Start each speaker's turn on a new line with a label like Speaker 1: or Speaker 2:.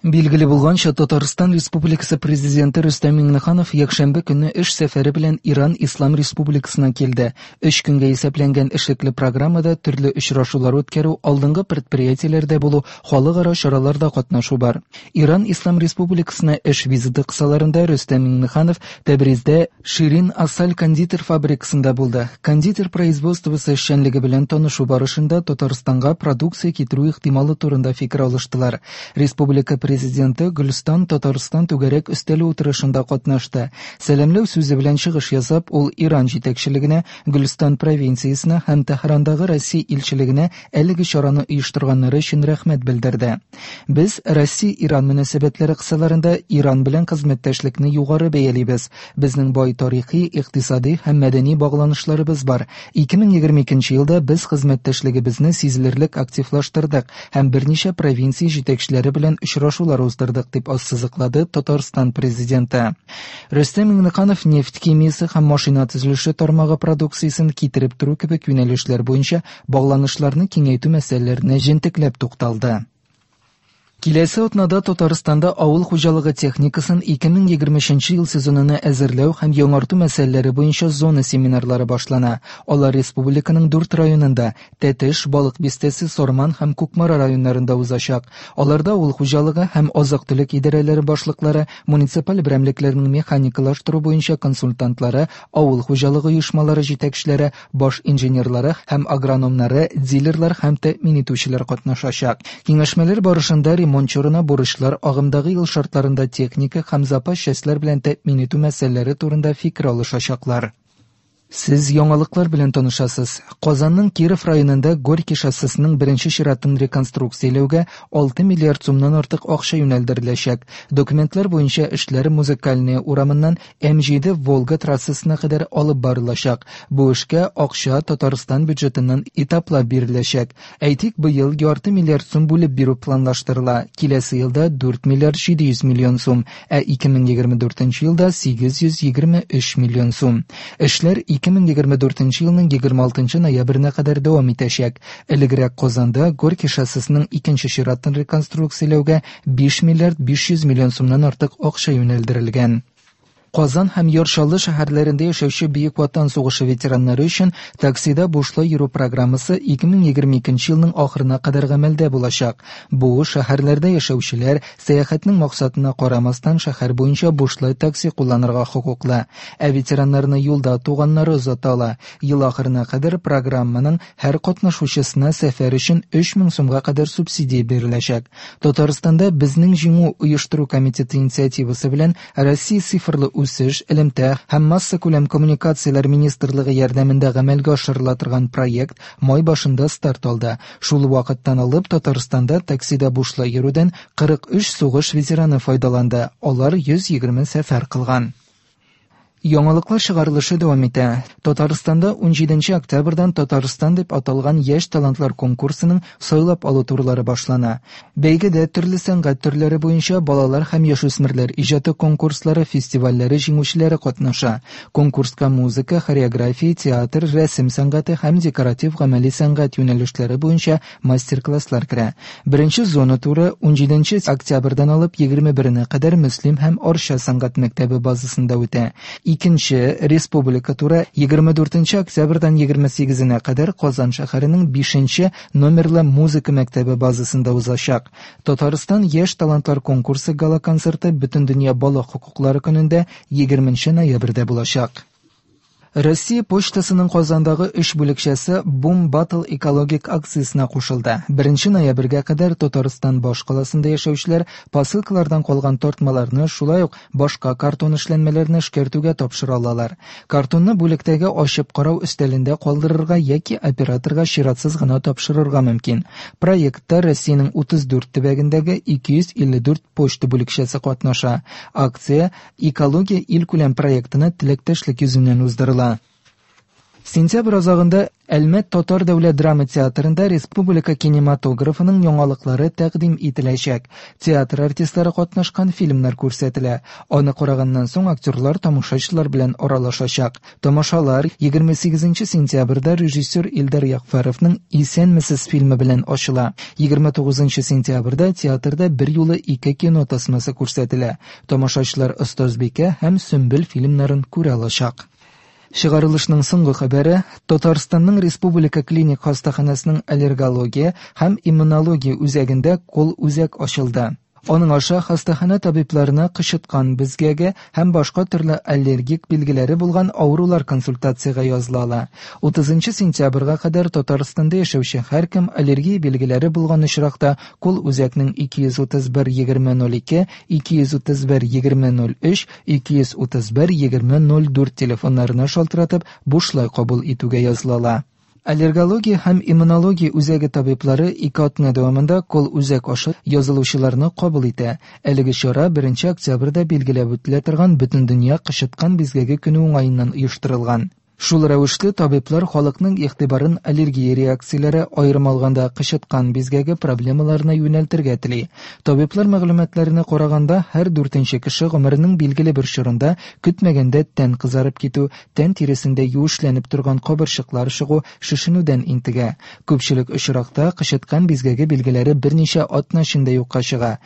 Speaker 1: Билгеле булганча, Татарстан Республикасы Президенты Рөстәм Миңнеханов якшәмбе көнне эш сәфәре белән Иран Ислам Республикасына килде. Өч көнгә исәпләнгән эшлекле программада төрле очрашулар үткәрү, алдынгы предприятиеләрдә булу, халыкара чараларда катнашу бар. Иран Ислам Республикасына эш визиты кысаларында Рөстәм Миңнеханов Тәбриздә Ширин Асаль кондитер фабрикасында булды. Кондитер производствосы эшчәнлеге белән танышу барышында Татарстанга продукция китерү ихтималы турында фикер алыштылар. Республика Президенты Гөлстан Татарстан түгәрәк өстәле утырышында катнашты. Сәламләү сүзе белән чыгыш ясап, ул Иран җитәкчелегенә, Гөлстан провинциясенә һәм Тәһрандагы Россия илчелегенә әлеге чараны оештырганнары өчен рәхмәт белдерде. Без Россия-Иран мөнәсәбәтләре кысаларында Иран белән хезмәттәшлекне югары бәялибез. Безнең бай тарихи, икътисади һәм мәдәни багланышларыбыз бар. 2022 елда без хезмәттәшлегебезне сизелерлек активлаштырдык һәм берничә провинция җитәкчеләре белән очрашулар уздырдык, дип ассызыклады Татарстан Президенты. Рөстәм Миңнеханов нефть химиясе һәм машина төзелеше тармагы продукциясен китереп тору кебек юнәлешләр буенча багланышларны киңәйтү мәсьәләләренә җентекләп тукталды. Киләсе атнада Татарстанда авыл хуҗалыгы техникасын 2023 ел сезонына әзерләү һәм яңарту мәсьәләләре буенча зона семинарлары башлана. Алар республиканың дүрт районында, Тәтеш, Балык Бистәсе, Сарман һәм Кукмара районнарында узачак. Аларда авыл хуҗалыгы һәм азык-төлек идарәләре башлыклары, муниципаль берәмлекләрнең механикалаштыру буенча консультантлары, авыл хуҗалыгы оешмалары җитәкчеләре, баш инженерлары һәм агрономнары, дилерлар һәм тәэмин итүчеләр катнашачак. Киңәшмәләр барышында ремонт чорына бурычлар, агымдагы ел шартларында техника һәм запас частьләр белән тәэмин итү мәсьәләләре турында фикер алышачаклар. Сез яңалыклар белән танышасыз. Казанның Киров районында Горький шоссесының беренче чиратын реконструкцияләүгә 6 миллиард сумнан артык акча юнәлдереләчәк. Документлар буенча эшләр Музыкальная урамыннан М7 Волга трассасына кадәр алып барылачак. Бу эшкә акча Татарстан бюджетыннан этаплап биреләчәк. Әйтик, быел ярты миллиард сум бүлеп бирү планлаштырыла, киләсе елда 4 миллиард 700 миллион сум, ә 2024 елда 823 миллион сум. Эшләр 2024 елның 26 ноябренә кадәр дәвам итәчәк. Элегрәк Казанда Горький шоссесының икенче чиратын реконструкцияләүгә 5 миллиард 500 миллион сумнан артык акча юнәлдерелгән. Казан һәм Яр Чаллы шәһәрләрендә яшәүче Бөек Ватан сугышы ветераннары өчен таксида бушлай йөрү программасы 2022 елның ахырына кадәр гамәлдә булачак. Бу шәһәрләрдә яшәүчеләр, сәяхәтнең максатына карамастан, шәһәр буенча бушлай такси кулланырга хокуклы. Ә ветераннарны юлда туганнары озата ала. Ел ахырына кадәр программаның һәр катнашучысына сәфәр өчен 3000 сумга кадәр субсидия биреләчәк. Татарстанда Безнең җиңү оештыру комитеты инициативасы белән Россия цифрлы үсеш, элемтә һәм массакүләм коммуникацияләр министрлыгы ярдәмендә гамәлгә ашырыла торган проект май башында старт алды. Шул вакыттан алып Татарстанда таксида бушлай йөрүдән 43 сугыш ветераны файдаланды, алар 120 сәфәр кылган. Яңалыклар чыгарылышы дәвам итә. Татарстанда 17 октябрьдән Татарстан дип аталган яшь талантлар конкурсының сайлап алу турлары башлана. Бәйгедә төрле сәнгать төрләре буенча балалар һәм яшүсмерләр иҗаты конкурслары, фестивальләре җиңүчеләре катнаша. Конкурска музыка, хореография, театр, рәсем сәнгате һәм декоратив-гамәли сәнгать юнәлешләре буенча мастер-класслар керә. Беренче зона туры 17 октябрьдән алып 21-нә кадәр Мөслим һәм Арча сәнгать мәктәбе базасында үтә. Икенче республика туры 24 октябрьдән 28-нә кадәр Казан шәһәренең 5 номерлы музыка мәктәбе базасында узачак. Татарстан яшь талантлар конкурсы гала-концерты Бөтендөнья бала хокуклары көнендә 20 ноябрьдә булачак. Россия почтасының Казандагы өч бүлекчәсе Boom Battle экологик акциясенә кушылды. 1 ноябрьгә кадәр Татарстан башкаласында яшәүчеләр посылкалардан калган тартмаларны, шулай ук башка картон эшләнмәләрне эшкәртүгә тапшыра алалар. Картонны бүлектәге ачып карау өстәлендә калдырырга яки операторга чиратсыз гына тапшырырга мөмкин. Проектта Россиянең 34 төбәгендәге 254 почта бүлекчәсе катнаша. Акция Экология илкүләм проектына теләктәшлек йөзеннән уздырыла. Сентябрь азагында Әлмәт татар дәүләт драма театрында республика кинематографының яңалыклары тәкъдим ителәчәк. Театр артистлары катнашкан фильмнар күрсәтелә. Аны караганнан соң актерлар тамашачылар белән аралашачак. Тамашалар 28 сентябрьдә режиссер Илдар Ягъфәровның Исәнмесез фильмы белән ачыла. 29 сентябрьдә театрда берьюлы ике кино тасмасы күрсәтелә. Тамашачылар Остазбикә һәм Сөмбел фильмнарын күрә алачак. Чыгарылышның соңгы хәбәре Татарстанның Республика клиник хастаханәсенең аллергология һәм иммунология үзәгендә кол-үзәк ачылды. Аның аша хастаханә табибларына кычыткан бизгәге һәм башка төрле аллергик билгеләре булган авырулар консультациягә языла ала. 30 сентябрьгә кадәр Татарстанда яшәүче һәркем аллергия билгеләре булган очракта кол-үзәкнең 231 20 02, 231 20 03, 231 20 04 телефоннарына шалтыратып, бушлай кабул итүгә языла ала. Аллергология һәм иммунология үзәге табиблары ике атна дәвамында кол-үзәк аша язылучыларны кабул итә. Әлеге чара 1 октябрьдә билгеләп үтелә торган Бөтендөнья кычыткан бизгәге көне уңаеннан оештырылган. Шул рәвешле табиблар халыкның игътибарын аллергия реакцияләре, аерым алганда кычыткан бизгәге проблемаларына юнәлтергә тели. Табиблар мәгълүматларына караганда, һәр дүртенче кеше гомеренең билгеле бер чорында көтмәгәндә тән кызарып китү, тән тиресендә юешләнеп торган кабырчыклар чыгу, шешенүдән интегә. Күпчелек очракта кычыткан бизгәге билгеләре берничә атна эчендә юкка чыга.